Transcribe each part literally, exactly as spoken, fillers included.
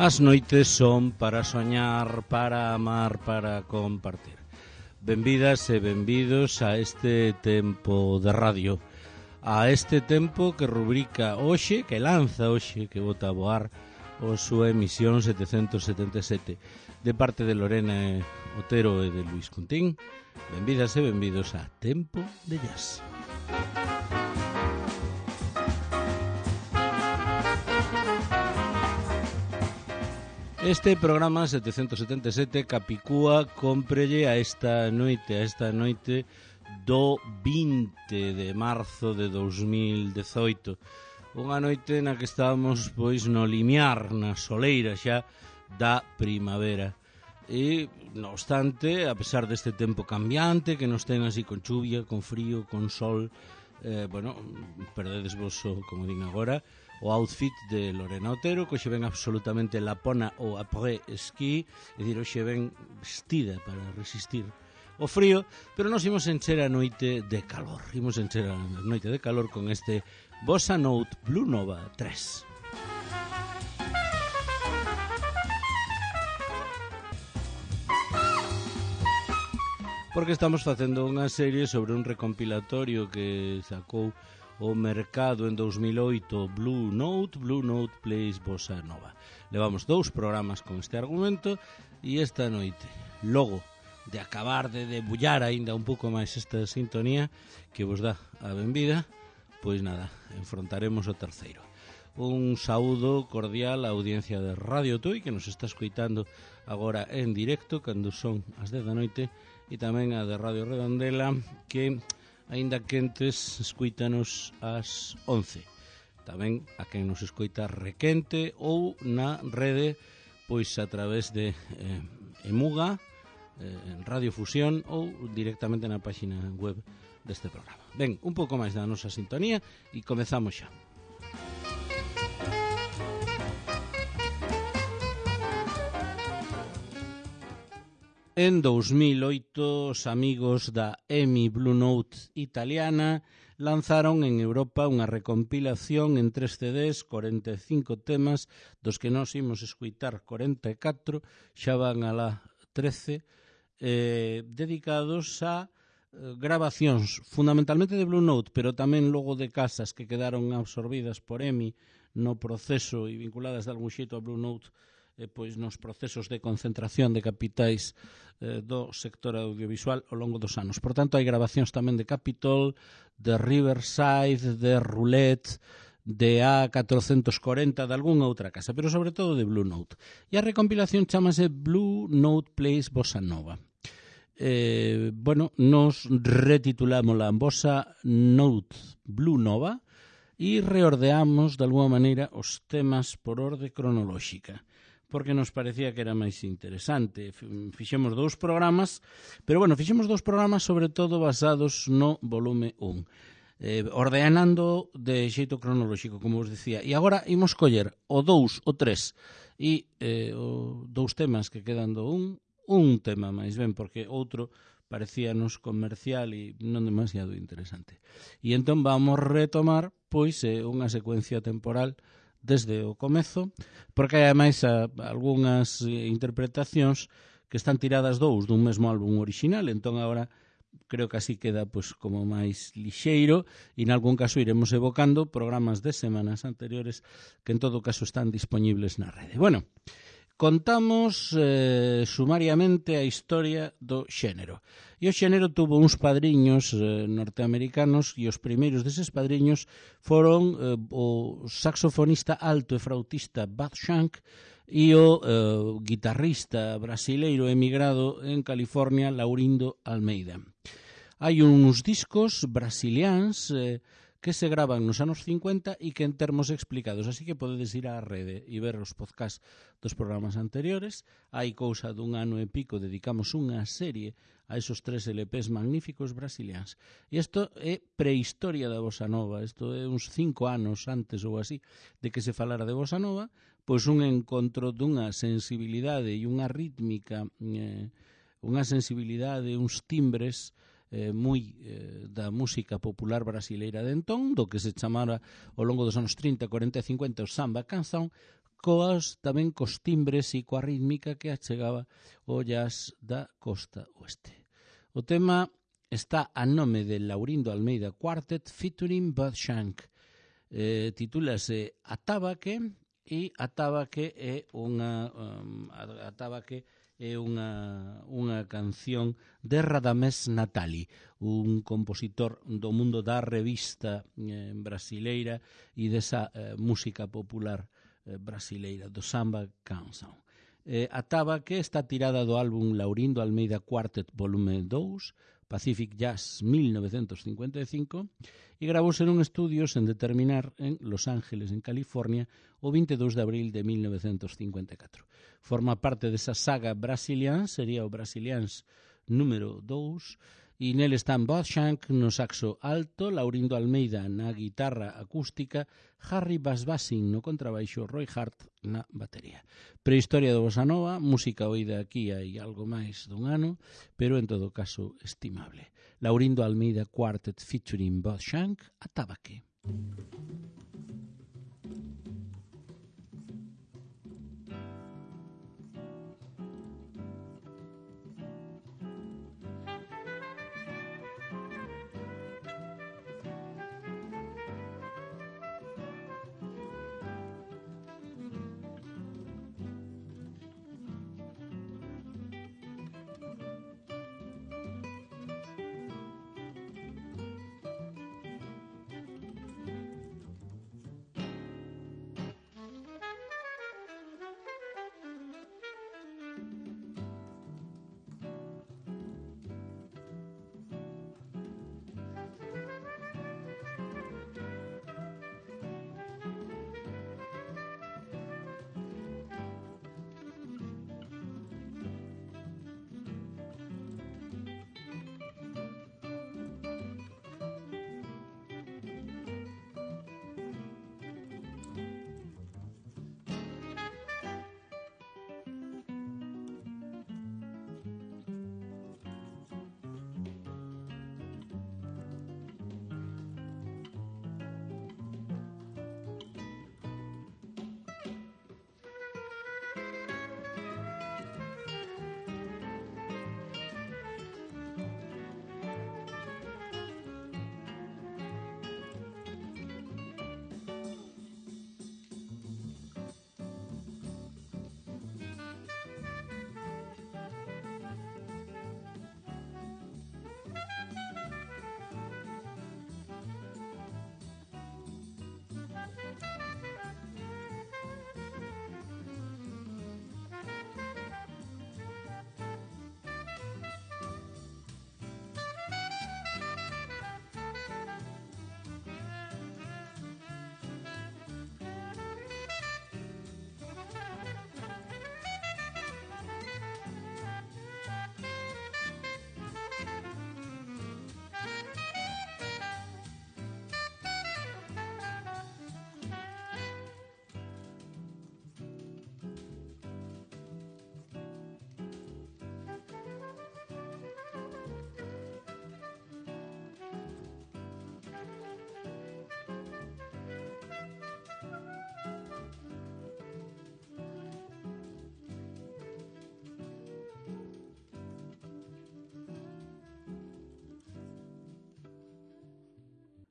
As noites son para soñar, para amar, para compartir. Benvidas e benvidos a este tempo de radio, a este tempo que rubrica hoxe, que lanza hoxe, que bota a voar a súa emisión setecentos setenta e sete, de parte de Lorena Otero e de Luis Cuntín. Benvidas e benvidos a Tempo de Jazz. Este programa setecentos setenta e sete Capicúa cómprelle a esta noite, a esta noite do vinte de marzo de dous mil dezoito. Unha noite na que estábamos pois no limiar, na soleira xa da primavera. E, non obstante, a pesar deste tempo cambiante que nos ten así con chuvia, con frío, con sol, eh, bueno, perdedes vos, como din agora, o outfit de Lorena Otero, que hoxe ven absolutamente lapona ou après ski, é dicir, hoxe ven vestida para resistir o frío, pero nos imos encher a noite de calor. Imos encher a noite de calor con este Bossa Note Blue Nova tres. Porque estamos facendo unha serie sobre un recompilatorio que sacou o mercado en dous mil oito, Blue Note, Blue Note Plays Bossa Nova. Levamos dous programas con este argumento e esta noite, logo de acabar de debullar aínda un pouco máis esta sintonía que vos dá a benvida, pois nada, enfrontaremos o terceiro. Un saúdo cordial á audiencia de Radio Tui que nos está escoitando agora en directo cando son as dez da noite, e tamén a de Radio Redondela que aínda quentes, escoítanos ás once. Tamén a quen nos escoita requente ou na rede, pois a través de eh, Emuga, eh, Radio Fusión ou directamente na página web deste programa. Ben, un pouco máis da nosa sintonía e comezamos xa. En dous mil oito, os amigos da E M I Blue Note italiana lanzaron en Europa unha recompilación en tres C Ds, cuarenta e cinco temas, dos que nós imos escuitar cuarenta e catro, xa van a la trece, eh, dedicados a eh, grabacións, fundamentalmente de Blue Note, pero tamén logo de casas que quedaron absorbidas por E M I no proceso e vinculadas de algún xeito a Blue Note, Eh, pois nos procesos de concentración de capitais eh, do sector audiovisual ao longo dos anos. Por tanto, hai grabacións tamén de Capitol, de Riverside, de Roulette, de A catrocentos corenta, de algunha outra casa, pero sobre todo de Blue Note. E a recompilación chamase Blue Note Plays Bossa Nova. Eh, bueno, nos retitulámola Bossa Note Blue Nova e reordeamos de alguma maneira os temas por orde cronolóxica, porque nos parecía que era máis interesante. Fixemos dous programas, pero bueno, fixemos dous programas sobre todo basados no volume un, eh, ordenando de xeito cronolóxico, como vos decía. E agora imos coller o dous, o tres e eh, o dous temas que quedan do un, un tema máis ben, porque outro parecíanos comercial e non demasiado interesante. E entón vamos retomar pois eh, unha secuencia temporal desde o comezo, porque hai ademais a, a algunhas interpretacións que están tiradas dous dun mesmo álbum original, entón agora creo que así queda pois como máis lixeiro e en algún caso iremos evocando programas de semanas anteriores que en todo caso están disponibles na rede. Bueno, contamos eh, sumariamente a historia do xénero. E o xénero tuvo uns padriños eh, norteamericanos e os primeiros deses padriños foron eh, o saxofonista alto e flautista Bud Shank e o eh, guitarrista brasileiro emigrado en California Laurindo Almeida. Hai uns discos brasiliáns eh, que se graban nos anos cincuenta e que en termos explicados, así que podedes ir á rede e ver os podcasts dos programas anteriores. Hai cousa dun ano e pico, dedicamos unha serie a esos tres L Ps magníficos brasiliáns. E isto é prehistoria da Bossa Nova, isto é uns cinco anos antes ou así de que se falara de Bossa Nova, pois un encontro dunha sensibilidade e unha rítmica, eh, unha sensibilidade, uns timbres eh, moi eh, da música popular brasileira de entón, do que se chamara ao longo dos anos trinta, cuarenta e cincuenta o samba canção, coas tamén cos timbres e coa rítmica que achegaba o jazz da costa oeste. O tema está a nome de Laurindo Almeida Quartet featuring Bud Shank. Eh, titúlase Atabaque e Atabaque é unha um, Atabaque é unha, unha canción de Radamés Natali, un compositor do mundo da revista eh, brasileira e desa eh, música popular eh, brasileira, do samba canção. Eh, Atabaque está tirada do álbum Laurindo Almeida Quartet volume dous, Pacific Jazz mil novecentos cincuenta e cinco, e gravouse nun estudio sen determinar en Los Ángeles, en California, o vinte e dous de abril de mil novecentos cincuenta e catro. Forma parte desa saga Brasilians, sería o Brasilians número dous, e nele están Bud Shank no saxo alto, Laurindo Almeida na guitarra acústica, Harry Basbasin no contrabaixo, Roy Hart na batería. Prehistoria do Bossa Nova, música oída aquí hai algo máis dun ano, pero en todo caso estimable. Laurindo Almeida Quartet featuring Bud Shank, Atabaque.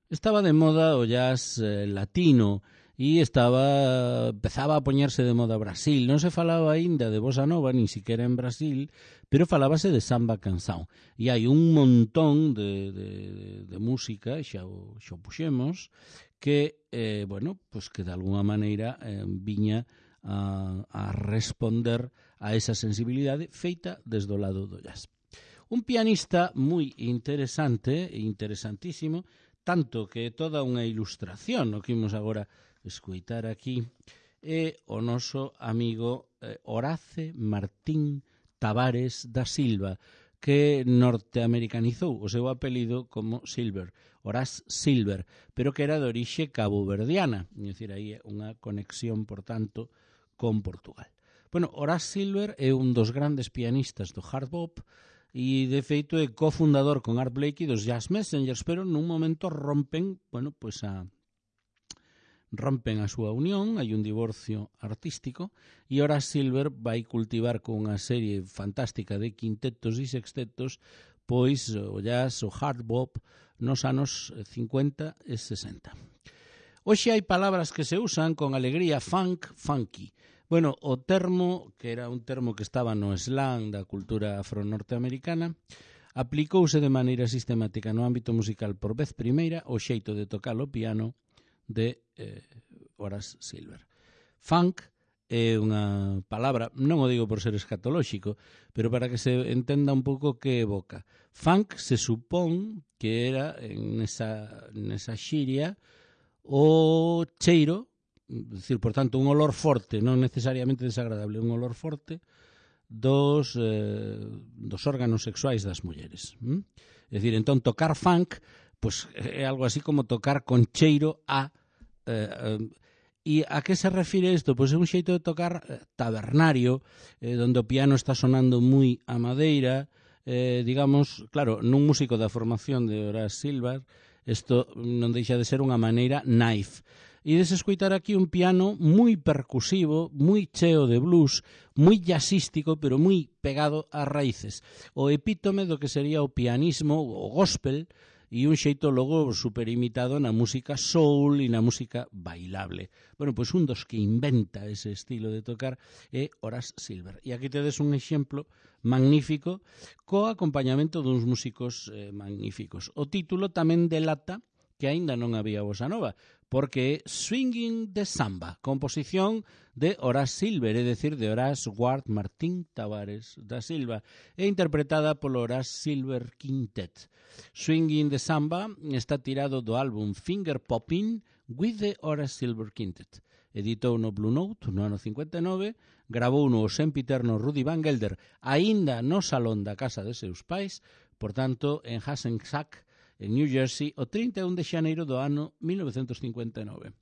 Estaba de moda o jazz eh, latino e estaba empezaba a poñerse de moda Brasil. Non se falaba aínda de bossa nova, nin siquiera en Brasil, pero falábase de samba canção. E hai un montón de, de, de música, xa o, xa o puxemos, que, eh, bueno, pues que de alguna maneira eh, viña a, a responder a esa sensibilidade feita desde o lado do jazz. Un pianista moi interesante e interesantísimo, tanto que é toda unha ilustración, o que imos agora escoitar aquí, é o noso amigo eh, Horace Martín Tavares da Silva, que norteamericanizou o seu apelido como Silver, Horace Silver, pero que era de orixe caboverdiana, é dicir, aí é unha conexión, por tanto, con Portugal. Bueno, Horace Silver é un dos grandes pianistas do hard bop, e de feito é cofundador con Art Blakey dos Jazz Messengers, pero nun momento rompen, bueno, pois a rompen a súa unión, hai un divorcio artístico, e Horace Silver vai cultivar con unha serie fantástica de quintetos e sextetos pois o jazz, o hard bop nos anos cincuenta e sesenta. Hoxe hai palabras que se usan con alegría: funk, funky. Bueno, o termo, que era un termo que estaba no slang da cultura afro-norteamericana, aplicouse de maneira sistemática no ámbito musical por vez primeira o xeito de tocar o piano de eh, Horace Silver. Funk é unha palabra, non o digo por ser escatolóxico, pero para que se entenda un pouco que evoca. Funk se supón que era en esa, nesa xiria o cheiro, decir, por tanto, un olor forte, non necesariamente desagradable, un olor forte dos, eh, dos órganos sexuais das mulleres. ¿Mm? É dicir, entón, tocar funk pues, é algo así como tocar con cheiro a... Eh, eh, e a que se refire isto? Pois é un xeito de tocar eh, tabernario, eh, donde o piano está sonando moi a madeira, eh, digamos, claro, nun músico da formación de Horace Silver, isto non deixa de ser unha maneira naif. E des escoitar aquí un piano moi percusivo, moi cheo de blues, moi jazzístico, pero moi pegado ás raíces. O epítome do que sería o pianismo, o gospel, e un xeito logo superimitado na música soul e na música bailable. Bueno, pois un dos que inventa ese estilo de tocar é Horace Silver. E aquí tedes un exemplo magnífico co acompañamento duns músicos eh, magníficos. O título tamén delata que aínda non había bossa nova, porque é Swinging the Samba, composición de Horace Silver, é dicir, de Horace Ward Martín Tavares da Silva, e interpretada polo Horace Silver Quintet. Swinging the Samba está tirado do álbum Finger Poppin' with the Horace Silver Quintet. Editou no Blue Note no ano cincuenta e nove, gravou no sempiterno Rudy Van Gelder, aínda no salón da casa de seus pais, por tanto, en Hackensack, en New Jersey, o trinta e un de xaneiro do ano mil novecentos cincuenta e nove.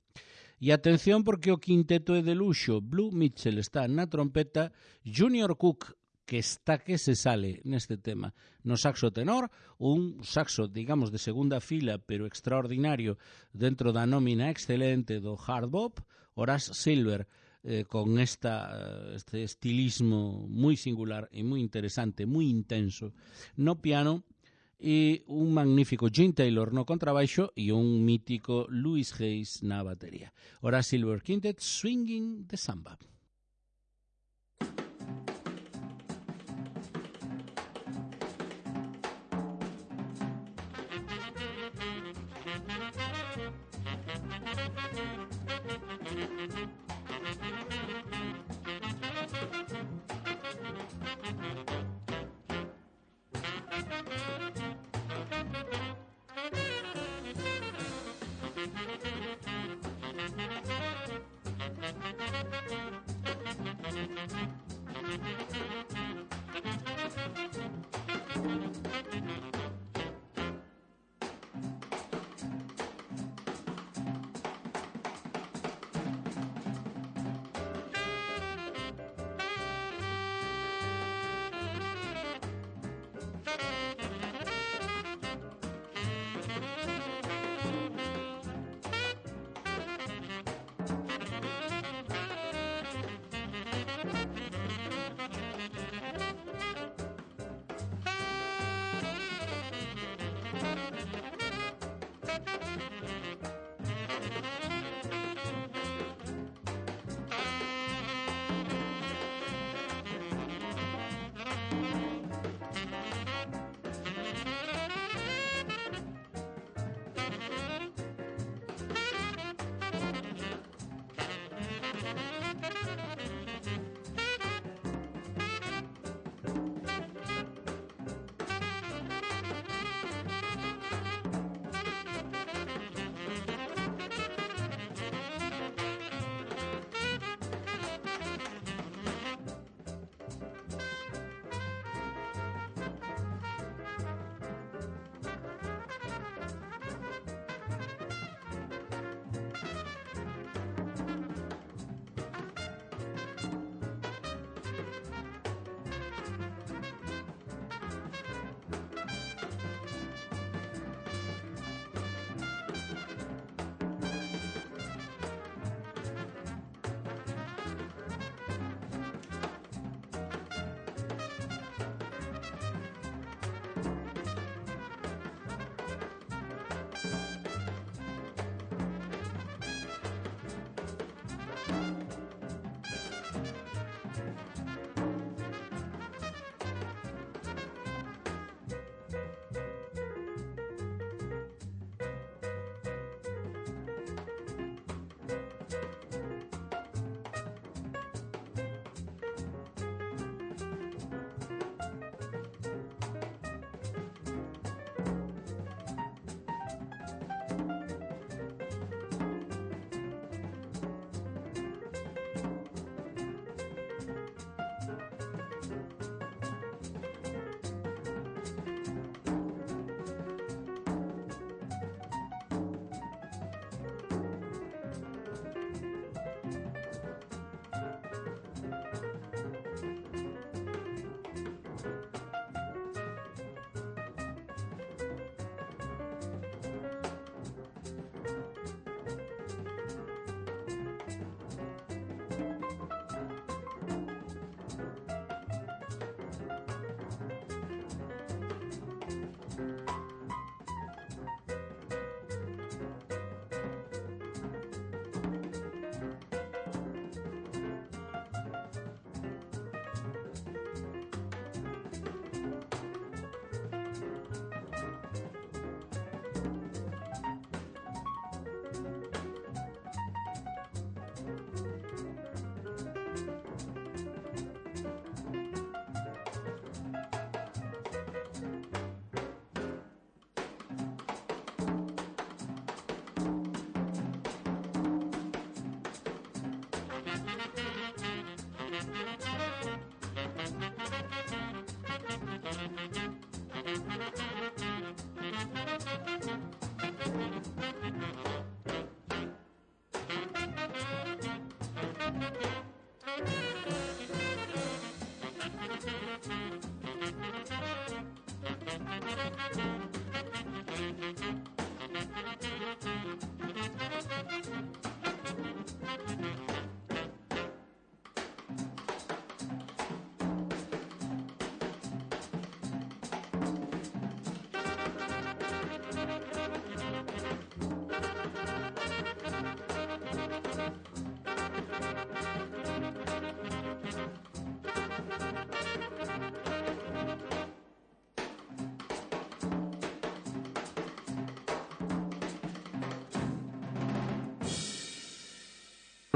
E atención porque o quinteto é de luxo. Blue Mitchell está na trompeta, Junior Cook, que está que se sale neste tema, no saxo tenor, un saxo, digamos, de segunda fila, pero extraordinario dentro da nómina excelente do hard bop, Horace Silver, eh, con esta, este estilismo moi singular e moi interesante, moi intenso, no piano, e un magnífico Gene Taylor no contrabaixo e un mítico Louis Hayes na batería. Horace Silver Quintet, Swinging the Samba.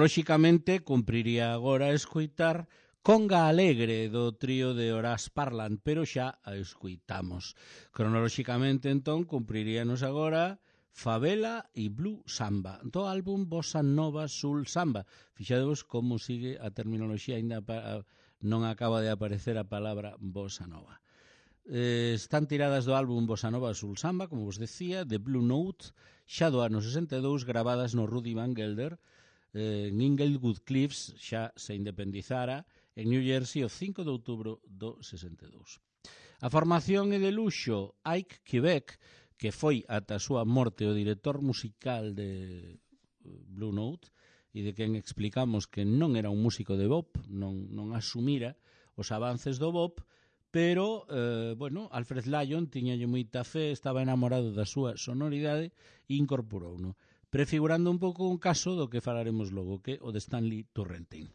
Lóxicamente, cumpriría agora escoitar Conga Alegre do trío de Horace Parland, pero xa a escoitamos. Cronolóxicamente, entón, cumpriríanos agora Favela e Blue Samba, do álbum Bossa Nova Soul Samba. Fixadevos como sigue a terminoloxía, ainda non acaba de aparecer a palabra Bossa Nova. Eh, están tiradas do álbum Bossa Nova Soul Samba, como vos decía, de Blue Note, xa do ano sesenta e dous, gravadas no Rudy Van Gelder, eh, en Inglewood Cliffs, xa se independizara, en New Jersey, o cinco de outubro do sesenta e dous. A formación é de luxo Ike Quebec, que foi ata a súa morte o director musical de Blue Note, e de quen explicamos que non era un músico de bop, non, non asumira os avances do bop, pero, eh, bueno, Alfred Lyon tiñalle moita fe, estaba enamorado da súa sonoridade e incorporouno, prefigurando un pouco un caso do que falaremos logo, que o de Stanley Turrentine.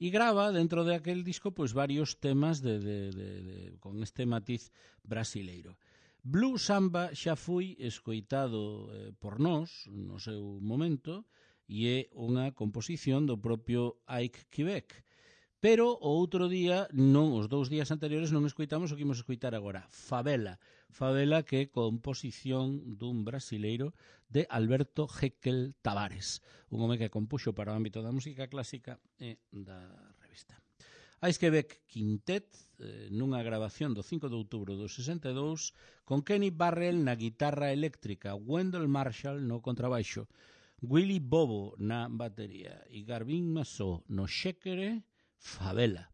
E grava dentro de aquel disco pois varios temas de, de, de, de, con este matiz brasileiro. Blue Samba xa foi escoitado eh, por nós no seu momento e é unha composición do propio Ike Quebec. Pero o outro día, non, os dous días anteriores non escoitamos o que imos escoitar agora, Favela. Favela que é composición dun brasileiro de Alberto Jekyll Tavares, un home que compuxo para o ámbito da música clásica e da revista. Ike Quebec Quintet, eh, nunha grabación do cinco de outubro do sesenta e dous, con Kenny Barrell na guitarra eléctrica, Wendell Marshall no contrabaixo, Willy Bobo na batería e Garvin Massó no xéquere, Favela.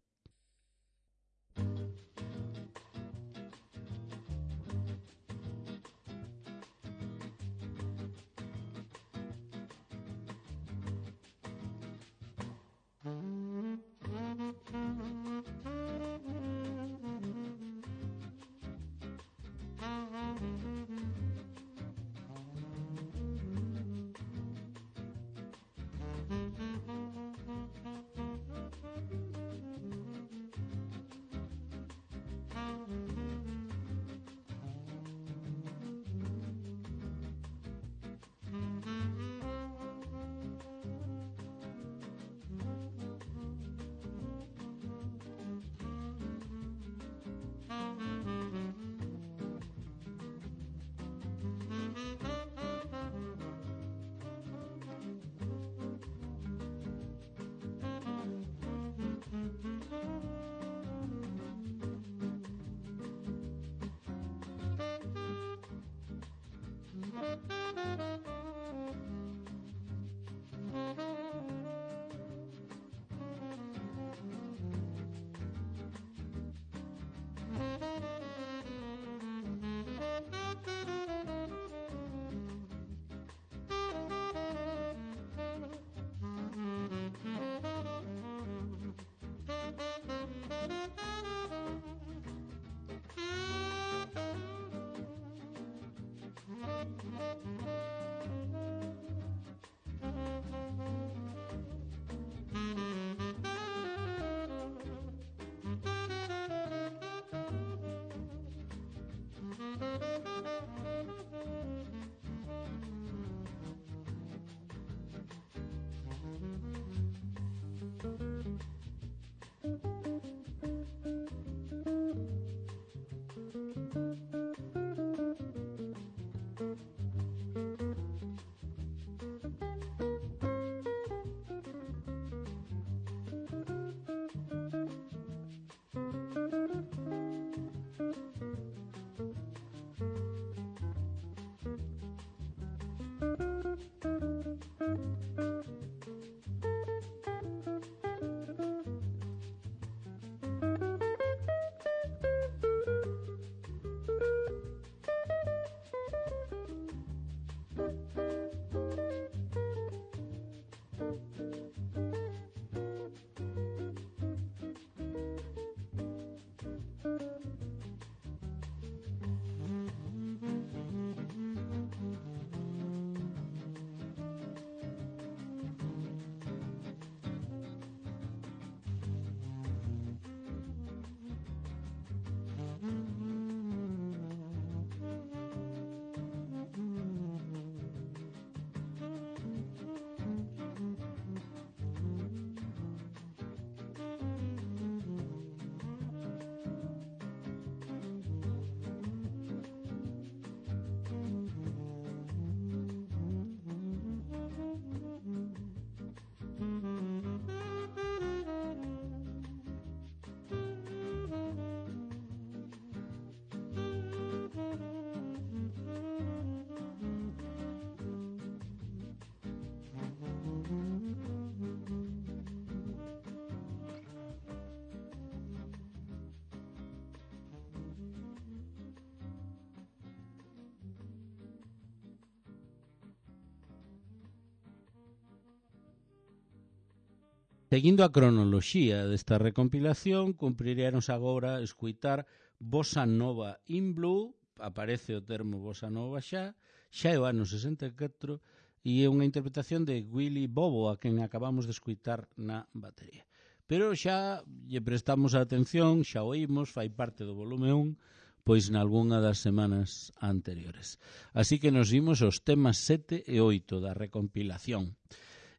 Seguindo a cronoloxía desta recompilación, cumpriríanos agora escuitar Bossa Nova in Blue, aparece o termo Bossa Nova xa, xa é o ano sesenta e catro, e é unha interpretación de Willy Bobo, a quen acabamos de escuitar na batería. Pero xa lle prestamos a atención, xa oímos, fai parte do volume un, pois nalgúna das semanas anteriores. Así que nos vimos os temas sete e oito da recompilación.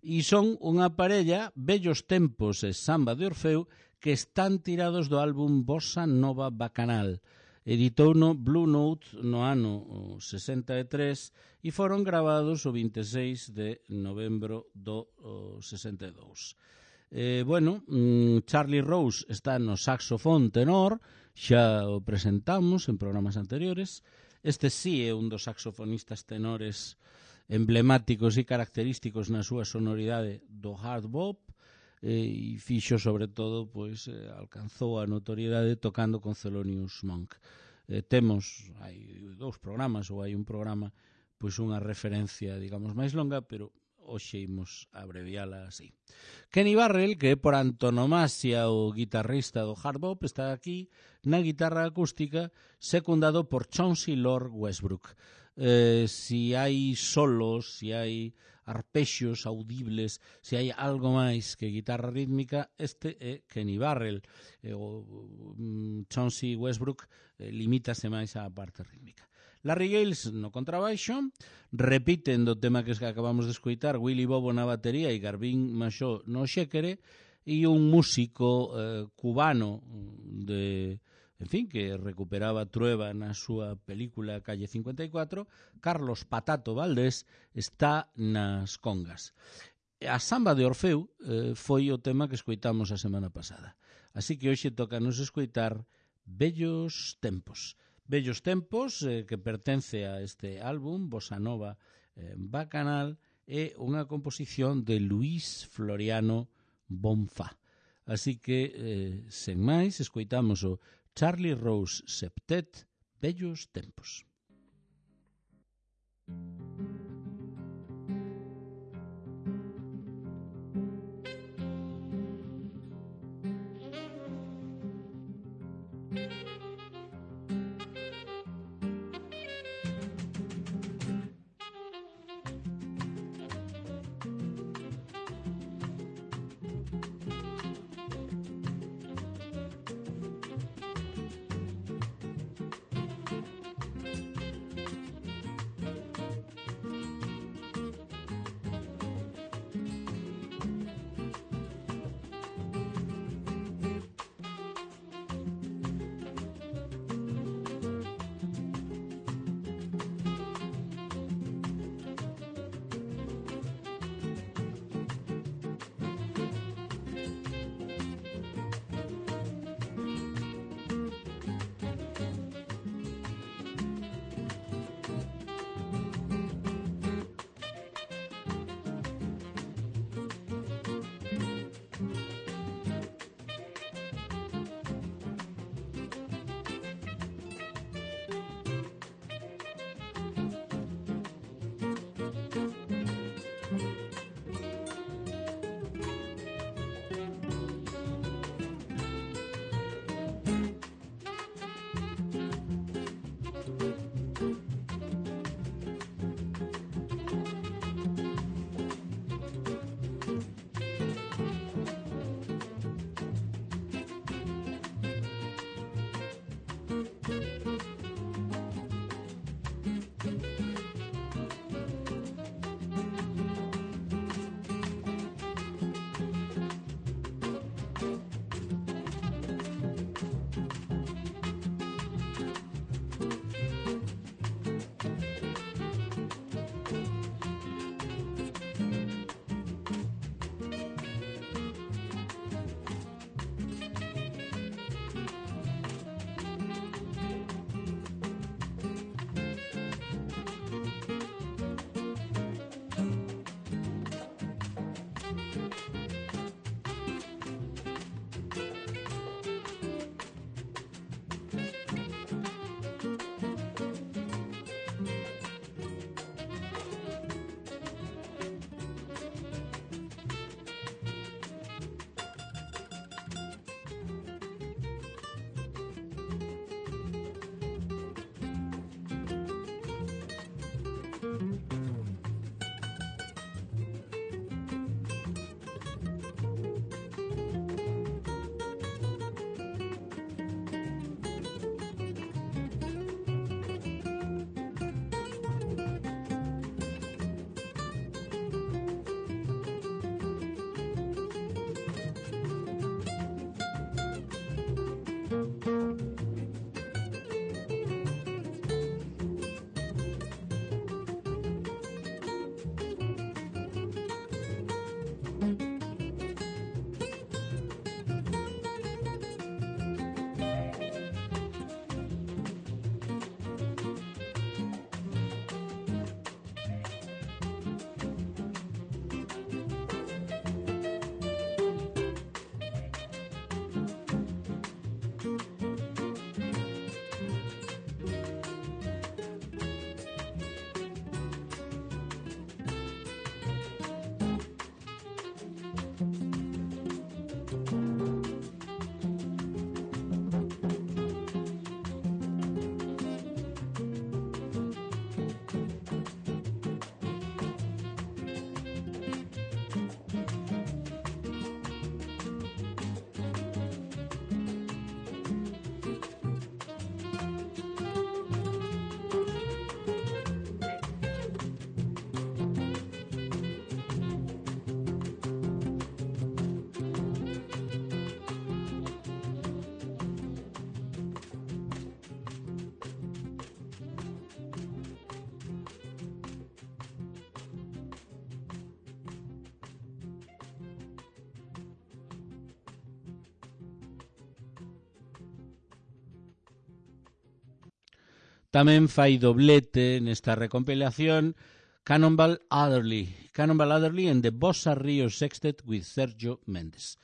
E son unha parella, Vellos Tempos e Samba de Orfeu, que están tirados do álbum Bossa Nova Bacanal. Editou no Blue Note no ano sesenta e tres e foron gravados o vinte e seis de novembro do sesenta e dous. Eh, bueno, Charlie Rose está no saxofón tenor, xa o presentamos en programas anteriores. Este sí é un dos saxofonistas tenores emblemáticos e característicos na súa sonoridade do hard bop, e fixo sobre todo, pois, eh, alcanzou a notoriedade tocando con Thelonious Monk. Eh, temos, hai dous programas ou hai un programa, pois unha referencia, digamos, máis longa, pero hoxe imos abreviala así. Kenny Barrell, que é por antonomasia o guitarrista do hard bop, está aquí na guitarra acústica, secundado por Chauncey Lord Westbrook. Eh, si hai solos, si hai arpexos audibles, se hai algo máis que guitarra rítmica, este é Kenny Barrell. Eh, o um, Chauncey Westbrook eh, limítase máis á parte rítmica. Larry Gales no contrabaixo, repiten do tema que acabamos de escoitar, Willy Bobo na batería e Garvin Machó no xéquere, e un músico eh, cubano de... en fin, que recuperaba Trueba na súa película Calle cincuenta e cuatro, Carlos Patato Valdés está nas congas. A Samba de Orfeu eh, foi o tema que escoitamos a semana pasada. Así que hoxe toca nos escoitar Vellos Tempos. Vellos Tempos, eh, que pertence a este álbum, Bossa Nova eh, Bacanal, é unha composición de Luis Floriano Bonfá. Así que, eh, sen máis, escoitamos o Charlie Rose Septet, Vellos Tempos. Tamén fai doblete nesta recompilación Cannonball Adderley, Cannonball Adderley and the Bossa Rio Sextet with Sergio Mendes.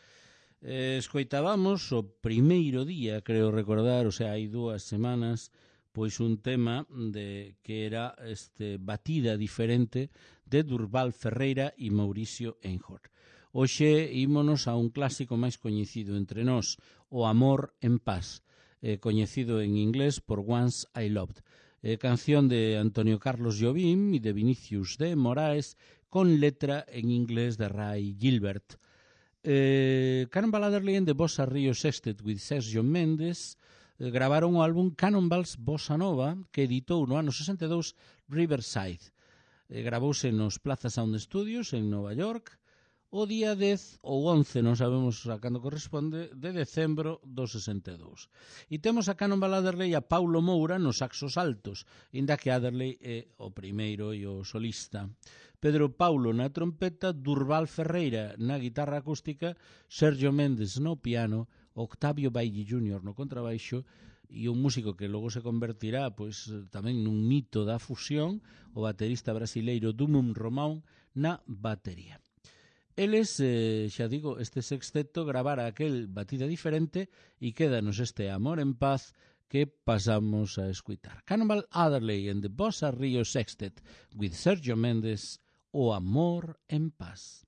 Eh, escoitábamos o primeiro día, creo recordar, o sea, hai dúas semanas, pois un tema de que era este batida diferente de Durval Ferreira e Mauricio Einhorn. Hoxe ímonos a un clásico máis coñecido entre nós, O Amor en Paz, eh, coñecido en inglés por Once I Loved, eh, canción de Antonio Carlos Jobim e de Vinicius de Moraes, con letra en inglés de Ray Gilbert. Eh, Cannonball Adderley and the Bossa Rio Sextet with Sergio Mendes eh, gravaron o álbum Cannonballs Bossa Nova, que editou no ano sesenta e dous Riverside. Eh, gravouse nos Plaza Sound Studios en Nova York o día dez ou once, non sabemos a cando corresponde, de decembro do sesenta e dous. E temos a Cannonball Adderley e a Paulo Moura nos saxos altos, inda que Adderley é o primeiro e o solista. Pedro Paulo na trompeta, Durval Ferreira na guitarra acústica, Sergio Mendes no piano, Octavio Bailly júnior no contrabaixo e un músico que logo se convertirá pois tamén nun mito da fusión, o baterista brasileiro Dumum Romão na batería. Eles, eh, xa digo, este sexteto gravara aquel batida diferente e quédanos este Amor en Paz que pasamos a escutar. Cannonball Adderley and the Bossa Rio Sextet with Sergio Mendes, O Amor en Paz.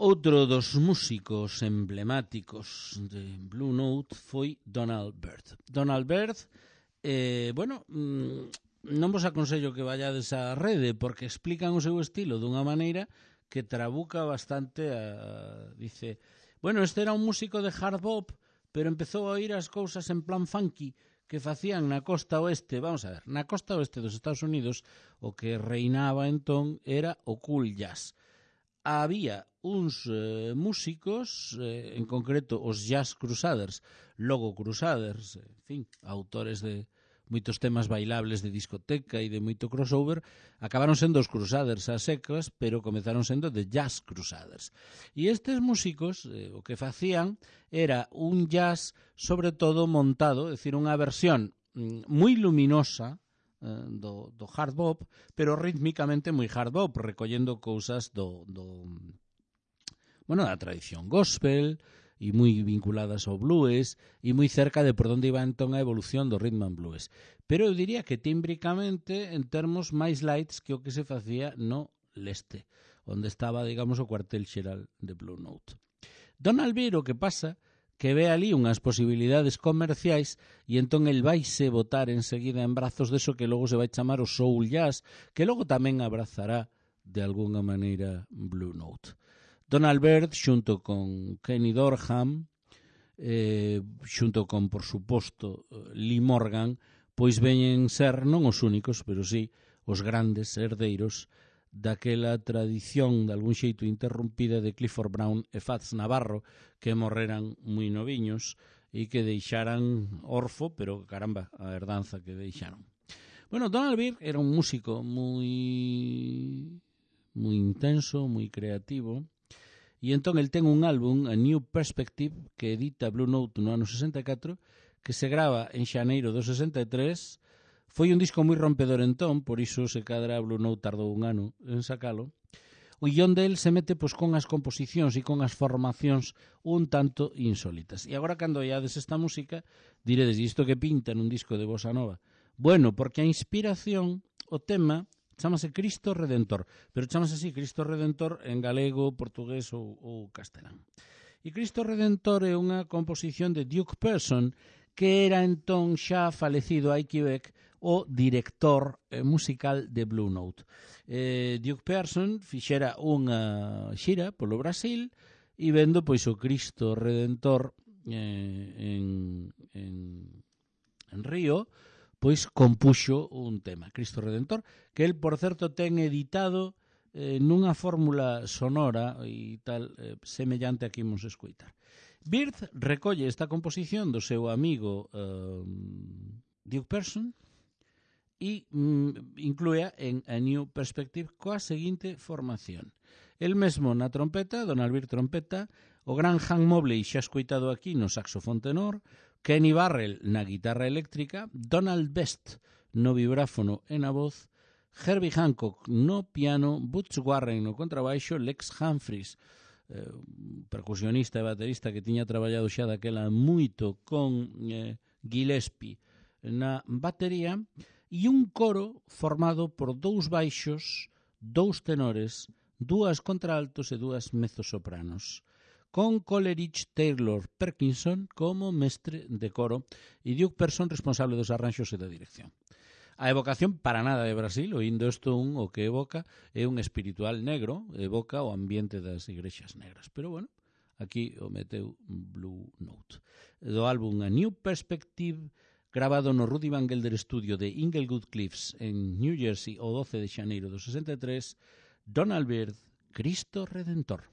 outro dos músicos emblemáticos de Blue Note foi Donald Byrd. Donald Byrd, eh, bueno, non vos aconsello que vayades á rede porque explican o seu estilo dunha maneira que trabuca bastante a, dice, bueno, este era un músico de hard bop, pero empezou a oír as cousas en plan funky que facían na costa oeste. Vamos a ver, na costa oeste dos Estados Unidos o que reinaba entón era o cool jazz. Había uns eh, músicos, eh, en concreto os Jazz Crusaders, logo Crusaders, en fin, autores de moitos temas bailables de discoteca e de moito crossover, acabaron sendo os Crusaders a secas, pero comezaron sendo de Jazz Crusaders. E estes músicos, eh, o que facían era un jazz sobre todo montado, é dicir, unha versión mm, moi luminosa, Do, do hard bop, pero rítmicamente moi hard bop, recollendo cousas do, do bueno, da tradición gospel e moi vinculadas ao blues e moi cerca de por onde iba entón a evolución do rhythm and blues. Pero eu diría que tímbricamente en termos máis lights que o que se facía no leste, onde estaba, digamos, o cuartel xeral de Blue Note. Donald Byrd, o que pasa que ve ali unhas posibilidades comerciais e entón el vaise botar enseguida en brazos deso que logo se vai chamar o soul jazz, que logo tamén abrazará de alguna maneira Blue Note. Donald Byrd, xunto con Kenny Dorham, eh, xunto con, por suposto, Lee Morgan, pois veñen ser non os únicos, pero sí os grandes herdeiros daquela tradición de algún xeito interrumpida de Clifford Brown e Fats Navarro, que morreran moi noviños e que deixaran orfo, pero caramba, a herdanza que deixaron. Bueno, Donald Byrd era un músico moi moi intenso, moi creativo, e entón el ten un álbum, A New Perspective, que edita Blue Note no ano sesenta e catro, que se grava en xaneiro do sesenta e tres. Foi un disco moi rompedor entón, por iso se cadra Blue Note tardou un ano en sacalo. O guión del se mete pois con as composicións e con as formacións un tanto insólitas. E agora cando oiades esta música, diredes, isto que pinta nun disco de bossa nova? Bueno, porque a inspiración, o tema, chamase Cristo Redentor, pero chamase así Cristo Redentor en galego, portugués ou, ou castelán. E Cristo Redentor é unha composición de Duke Person, que era entón xa falecido hai que ver o director eh, musical de Blue Note. Eh, Duke Pearson fixera unha xira polo Brasil e vendo pois o Cristo Redentor eh, en, en, en Río, pois compuxo un tema, Cristo Redentor, que el, por certo, ten editado eh, nunha fórmula sonora e tal eh, semellante a que imos escoitar. Byrd recolle esta composición do seu amigo eh, Duke Person e mm, inclúea en A New Perspective coa seguinte formación. El mesmo na trompeta, Donald Byrd trompeta, o gran Hank Mobley xa escoitado aquí no saxofón tenor, Kenny Barrell na guitarra eléctrica, Donald Best no vibráfono e na voz, Herbie Hancock no piano, Butch Warren no contrabaixo, Lex Humphries, eh, percusionista e baterista que tiña traballado xa daquela moito con eh, Gillespie na batería, e un coro formado por dous baixos, dous tenores, dúas contraaltos e dúas mezzosopranos, con Coleridge Taylor Perkinson como mestre de coro e Duke Person responsable dos arranxos e da dirección. A evocación para nada de Brasil, oindo isto un, o que evoca é un espiritual negro, evoca o ambiente das igrexas negras. Pero bueno, aquí o meteu Blue Note. Do álbum A New Perspective, grabado no Rudy Van Gelder Studio de Inglewood Cliffs en New Jersey o doce de xaneiro do sesenta e tres, Donald Byrd, Cristo Redentor.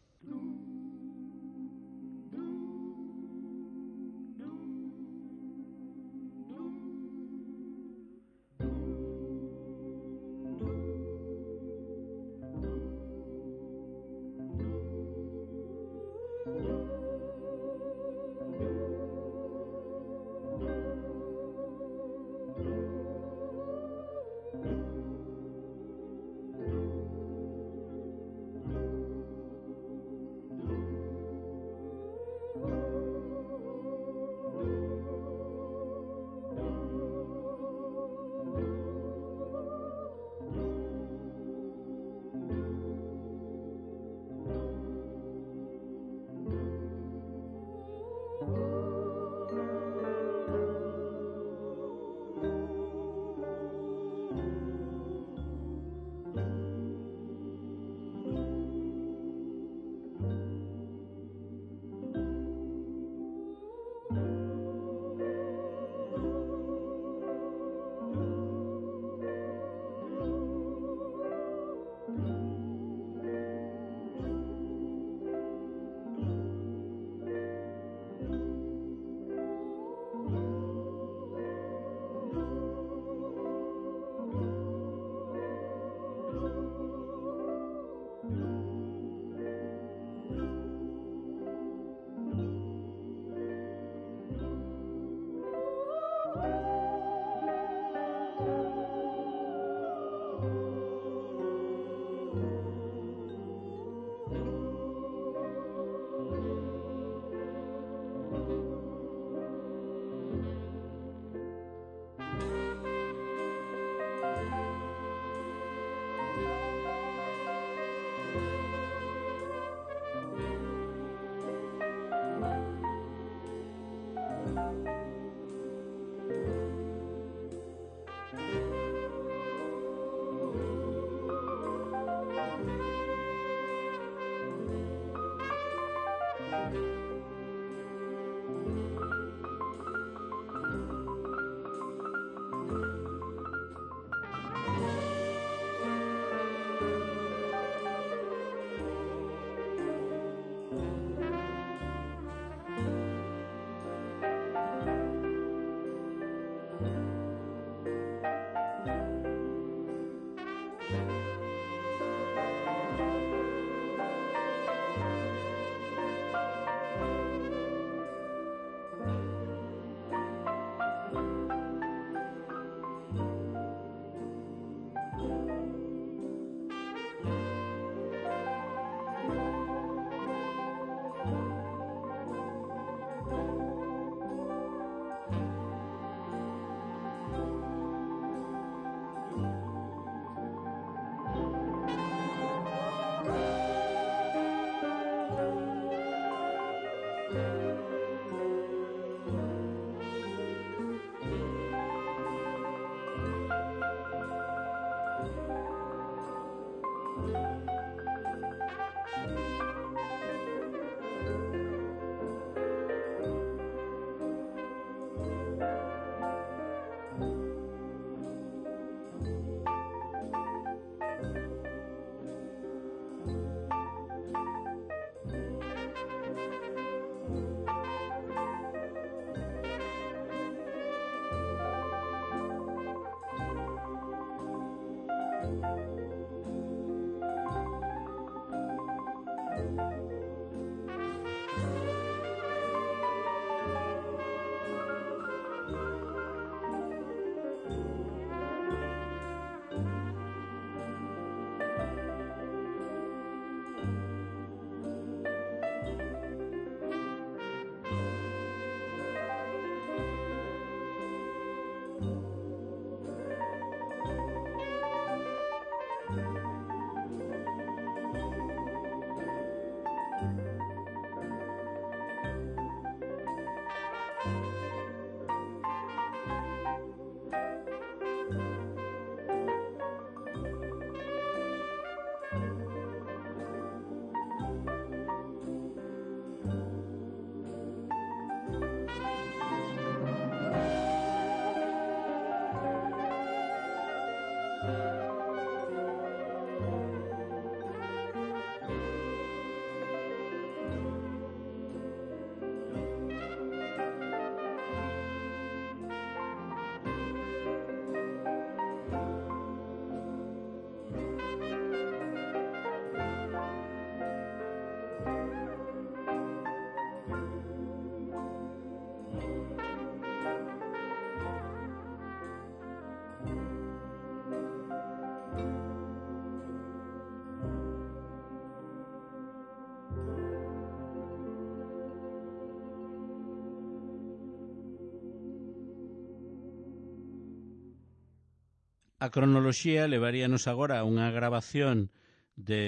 A cronoloxía levaríanos agora a unha grabación de,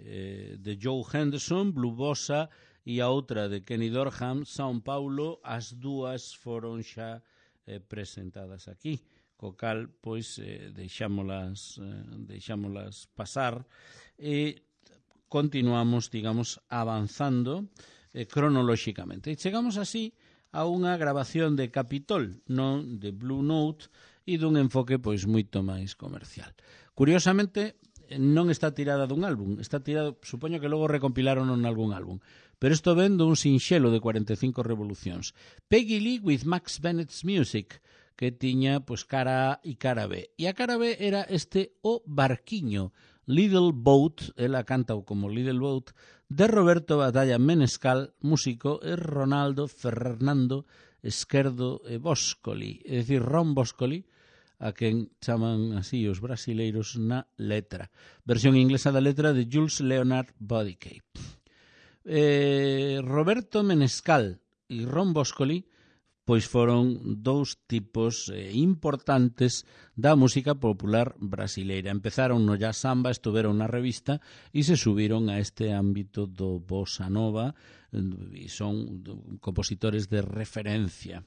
eh, de Joe Henderson, Blue Bossa, e a outra de Kenny Dorham, São Paulo. As dúas foron xa eh, presentadas aquí, co cal, pois, eh, deixámolas, eh, deixámolas pasar e continuamos, digamos, avanzando eh, cronolóxicamente. E chegamos así a unha grabación de Capitol, non de Blue Note, e dun enfoque pois moito máis comercial. Curiosamente, non está tirada dun álbum, está tirada, supoño que logo recompilaron en algún álbum, pero isto ven dun sinxelo de cuarenta e cinco revolucións. Peggy Lee with Max Bennett's Music, que tiña pois cara A e cara B. E a cara B era este O Barquiño, Little Boat, ela canta como Little Boat, de Roberto Batalla Menescal, músico, e Ronaldo Fernando Esquerdo e Boscoli, é dicir, Ron Boscoli, a quen chaman así os brasileiros na letra. Versión inglesa da letra de Jules Leonard Bodycape. Eh, Roberto Menescal e Ron Boscoli pois foron dous tipos eh, importantes da música popular brasileira. Empezaron no jazz samba, estuveron na revista e se subiron a este ámbito do bossa nova e son compositores de referencia.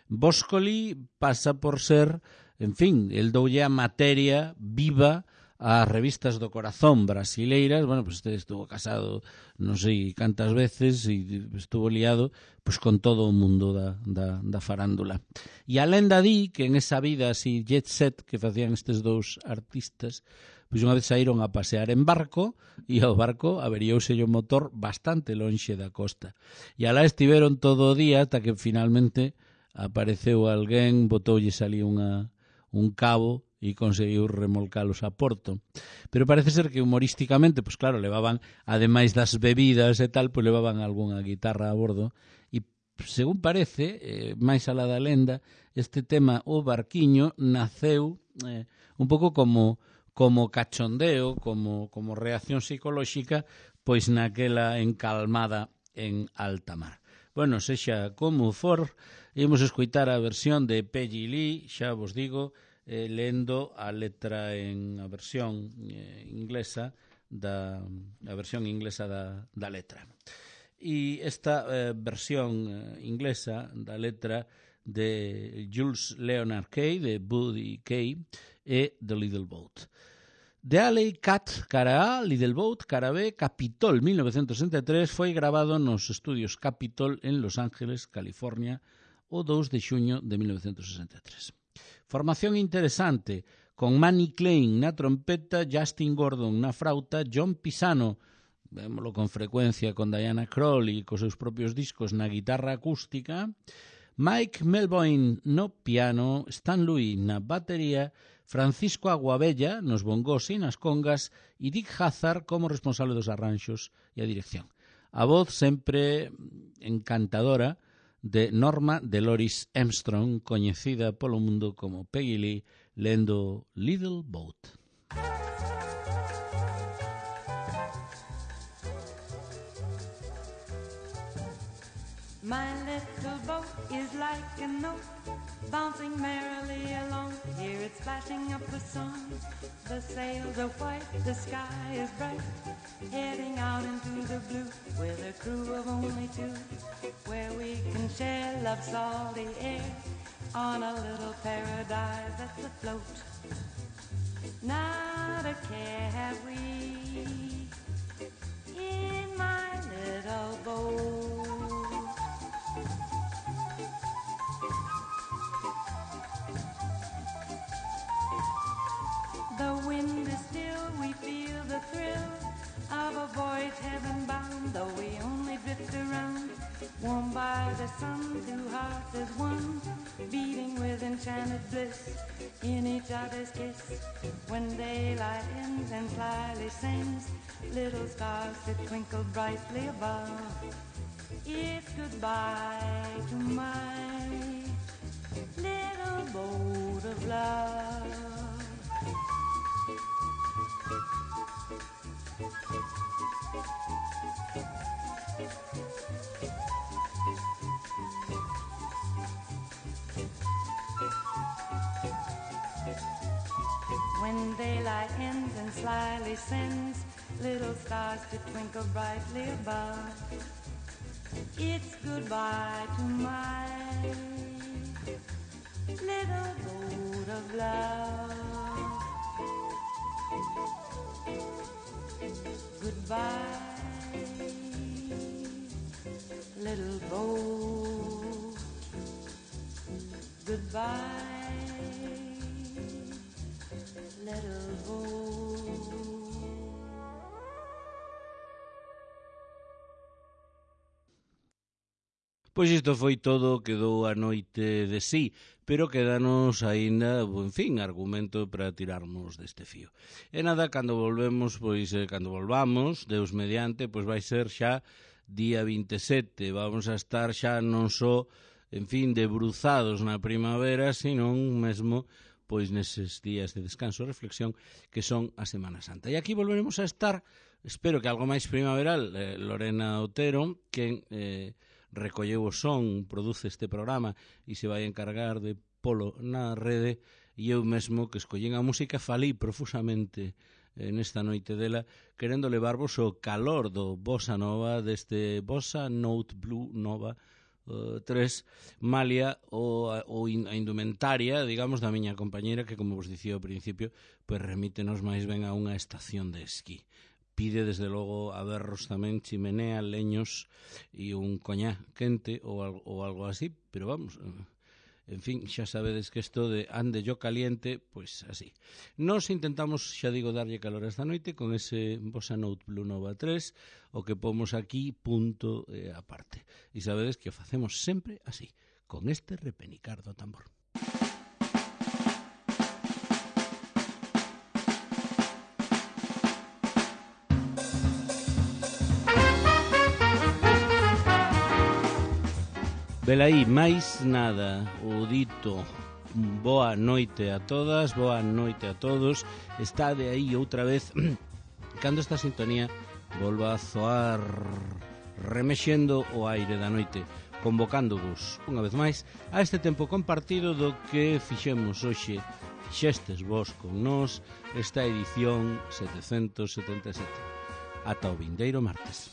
Boscoli pasa por ser, en fin, el doulle a materia viva ás revistas do corazón brasileiras. Bueno, pues este estuvo casado non sei cantas veces e estuvo liado pues con todo o mundo da, da, da farándula. E a lenda di que en esa vida así jet set que facían estes dous artistas, pois unha vez saíron a pasear en barco e ao barco averiouse o motor bastante lonxe da costa. E alá estiveron todo o día ata que finalmente apareceu alguén, botoulles ali unha, un cabo e conseguiu remolcalos a porto. Pero parece ser que humorísticamente, pois claro, levaban, ademais das bebidas e tal, pois levaban algunha guitarra a bordo e, según parece, eh, máis alá da lenda, este tema, o barquiño, naceu eh, un pouco como como cachondeo, como, como reacción psicolóxica, pois naquela encalmada en alta mar. Bueno, sexa como for, imos escoitar a versión de Peggy Lee, xa vos digo, eh, lendo a letra en a versión eh, inglesa da a versión inglesa da, da letra. E esta eh, versión eh, inglesa da letra de Jules Leonard Kay, de Buddy Kay, e The Little Boat. The Alley Cat cara A, Little Boat cara B, Capitol mil novecientos sesenta e tres, foi grabado nos estudios Capitol en Los Ángeles, California, o dous de xuño de mil novecientos sesenta e tres. Formación interesante, con Manny Klein na trompeta, Justin Gordon na frauta, John Pisano, vémolo con frecuencia con Diana Krall e cos seus propios discos na guitarra acústica, Mike Melvoin no piano, Stan Louis na batería, Francisco Aguabella nos bongos e nas congas e Dick Hazard como responsable dos arranxos e a dirección. A voz sempre encantadora de Norma Dolores Armstrong, coñecida polo mundo como Peggy Lee, lendo Little Boat. My little boat is like a note, bouncing merrily along. Hear it splashing up the song. The sails are white, the sky is bright, heading out into the blue with a crew of only two, where we can share love's salty air on a little paradise that's afloat. Not a care have we in my little boat. The wind is still, we feel the thrill of a voyage heaven bound, though we only drift around, warmed by the sun, two hearts as one, beating with enchanted bliss in each other's kiss. When daylight ends and slyly sends little stars that twinkle brightly above, it's goodbye to my little boat of love. When daylight ends and slyly sends little stars to twinkle brightly above, it's goodbye to my little boat of love. Goodbye, little boat. Goodbye, little boat. Pois isto foi todo o que dou a noite de sí, pero quedanos aínda, en fin, argumento para tirarmos deste fío. E nada, cando volvemos, pois, eh, cando volvamos, Deus mediante, pois vai ser xa día vinte e sete, vamos a estar xa non só, en fin, debruzados na primavera, senón mesmo, pois, neses días de descanso e reflexión que son a Semana Santa. E aquí volveremos a estar, espero que algo máis primaveral, eh, Lorena Otero, que eh, recolleu o son, produce este programa e se vai encargar de polo na rede, e eu mesmo que escollín a música falí profusamente nesta noite dela, querendo levarvos o calor do Bossa Nova, deste Bossa Note Blue Nova uh, tres, malia o, o in, a indumentaria, digamos, da miña compañera, que, como vos dicía ao principio, pues remítenos máis ben a unha estación de esquí. Pide, desde logo, a berros tamén chimenea, leños e un coñá quente ou algo, ou algo así, pero vamos... En fin, xa sabedes que isto de ande yo caliente, pois así. Nos intentamos, xa digo, darlle calor esta noite con ese Bossa Note Blue Nova tres, o que pomos aquí, punto eh, aparte. E sabedes que o facemos sempre así, con este repenicar do tambor. Velaí, máis nada, o dito, boa noite a todas, boa noite a todos. Está de aí outra vez, cando esta sintonía volva a zoar remexendo o aire da noite, convocándovos unha vez máis a este tempo compartido do que fixemos hoxe, fixestes vos con nós, esta edición setecentos setenta e sete. Ata o vindeiro martes.